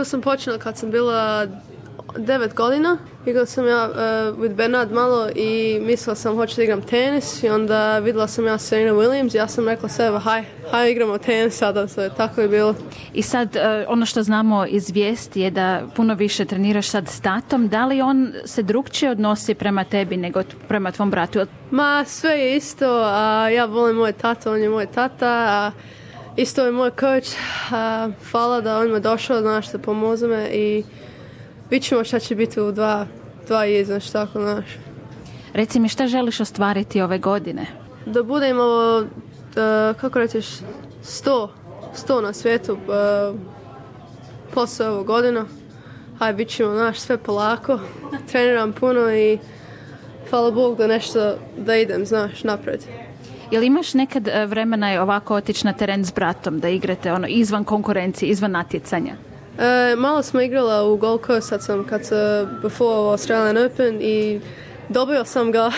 prvo sam počela kad sam bila 9 godina. Igrala sam ja with Bernard malo i mislila sam hoću da igram tenis i onda vidjela sam ja Serena Williams i ja sam rekla sebe haj igramo tenis sada, tako je bilo. I sad ono što znamo iz vijesti je da puno više treniraš sad s tatom. Da li on se drukčije odnosi prema tebi nego prema tvom bratu? Ma sve je isto, ja volim moj tata, on je moj tata, isto je moj coach, hvala da on me došao, znaš, da pomoze me i vidit ćemo šta će biti u dva znaš, tako, znaš. Reci mi, šta želiš ostvariti ove godine? Da budemo, kako rećeš, 100 na svijetu posle ovog godina. Hajde, bit ćemo, znaš, sve polako. Treniram puno i hvala Bog da nešto, da idem, znaš, napred. Jel imaš nekad vremena ovako otići na teren s bratom, da igrate izvan konkurencije, izvan natjecanja? Malo smo igrala u Gold Coast, before Australian Open i dobio sam ga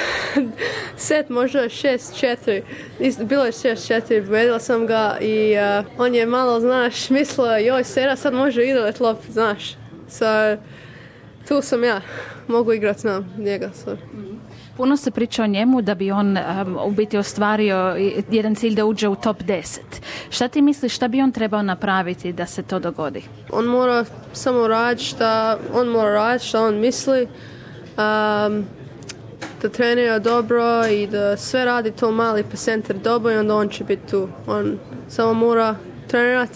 set možda 6-4, bilo je 6-4, pobedila sam ga i on je malo, znaš, mislio, joj Sera sad može igrati loptu, znaš. Tu sam ja, mogu igrati na njega. Puno se priča o njemu da bi on u biti ostvario jedan cilj da uđe u top 10. Šta ti misliš, šta bi on trebao napraviti da se to dogodi? On mora samo raditi šta on misli, da trenira dobro i da sve radi to mali % dobro i onda on će biti tu. On samo mora trenirati.